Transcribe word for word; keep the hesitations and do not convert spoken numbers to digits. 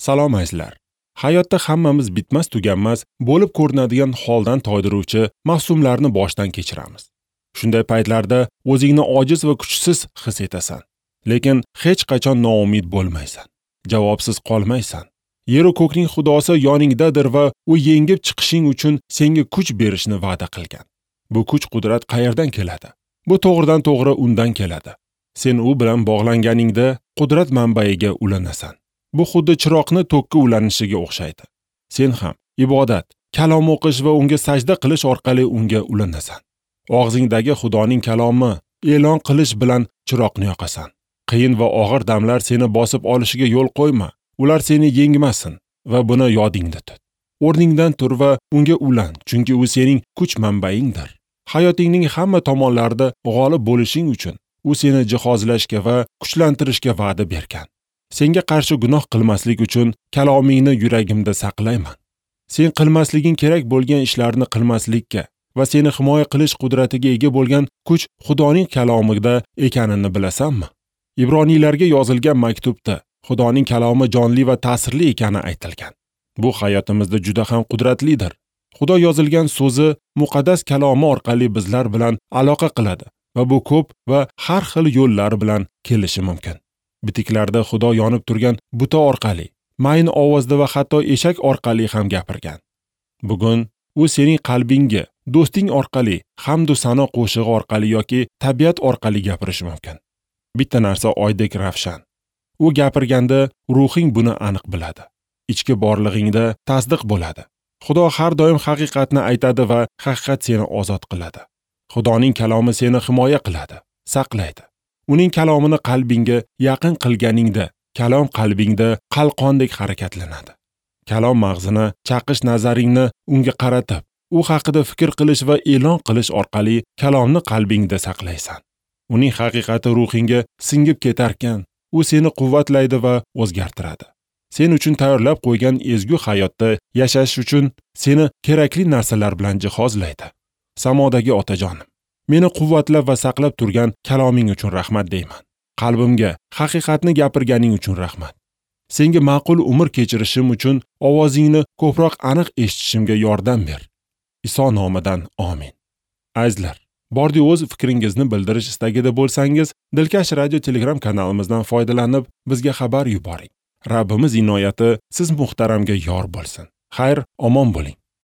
Salom azizlar. Hayotda hammamiz bitmas tuganmas bo'lib ko'rinadigan holdan toydiruvchi mavsumlarni boshdan kechiramiz. Shunday paytlarda o'zingni ojiz va kuchsiz his etasan. Lekin hech qachon noumid bo'lmaysan. Javobsiz qolmaysan. Yer-u ko'kning Xudosi yoningdadir va u yengib chiqishing uchun senga kuch berishni va'da qilgan. Bu kuch-qudrat qayerdan keladi? Bu to'g'ridan to'g'ri undan keladi. Sen u bilan bog'langaningda qudrat manbaiga ulanasan. Bu xuddi chiroqni tokka ulanishiga o'xshaydi. Sen ham ibodat, kalom o'qish va unga sajda qilish orqali unga ulanasan. Og'zingdagi Xudoning kalomi e'lon qilish bilan chiroqni yoqasan. Qiyin va og'ir damlar seni bosib olishiga yo'l qo'yma. Ular seni yengmasin va buni yodingda tut. O'rningdan tur va unga ulan, chunki u sening kuch manbaingdir. Hayotingning hamma tomonlarida g'olib bo'lishing uchun u seni jihozlashga va kuchlantirishga va'da bergan. Senga qarshi gunoh qilmaslik uchun kalomingni yuragimda saqlayman. Sen qilmasliging kerak bo'lgan ishlarni qilmaslikka va seni himoya qilish qudratiga ega bo'lgan kuch Xudoning kalomida ekanini bilasanmi? Ibroniylarga yozilgan maktubda Xudoning kalomi jonli va ta'sirli ekani aytilgan. Bu hayotimizda juda ham qudratlidir. Xudo yozilgan so'zi muqaddas kalomi orqali bizlar bilan aloqa qiladi va bu ko'p va har xil yo'llar bilan kelishi mumkin. Bitiklarda Xudo yonib turgan buta orqali, mayin ovozda va hatto eshak orqali ham gapirgan. Bugun u sening qalbingga do'sting orqali, hamd va sano qo'shig'i orqali yoki tabiat orqali gapirishi mumkin. Bitta narsa oydek ravshan. U gapirganda ruhing buni aniq biladi. Ichki borlig'ingda tasdiq bo'ladi. Xudo har doim haqiqatni aytadi va haqiqat seni ozod qiladi. Xudoning kalomi seni himoya qiladi, saqlaydi. Uning kalomini qalbingga yaqin qilganingda, kalom qalbingda qalqondek harakatlanadi. Kalom mag'zini chaqish nazaringni unga qaratib, u haqida fikr qilish va e'lon qilish orqali kalomni qalbingda saqlaysan. Uning haqiqati ruhingga singib ketarkan, u seni quvvatlaydi va o'zgartiradi. Sen uchun tayyorlab qo'ygan ezgu hayotda yashash uchun seni kerakli narsalar bilan jihozlaydi. Samodagi otajonim, meni quvvatlab va saqlab turgan kaloming uchun rahmat deyman. Qalbimga haqiqatni gapirganing uchun rahmat. Senga ma'qul umr kechirishim uchun ovozingni ko'proq aniq eshitishimga yordam ber. Iso nomidan amin. Azizlar, bordi o'z fikringizni bildirish istagida bo'lsangiz, Dilkash radio Telegram kanalimizdan foydalanib bizga xabar yuboring. Rabbimiz inoyati siz muhtaramga yor bo'lsin. Xayr, omon bo'ling.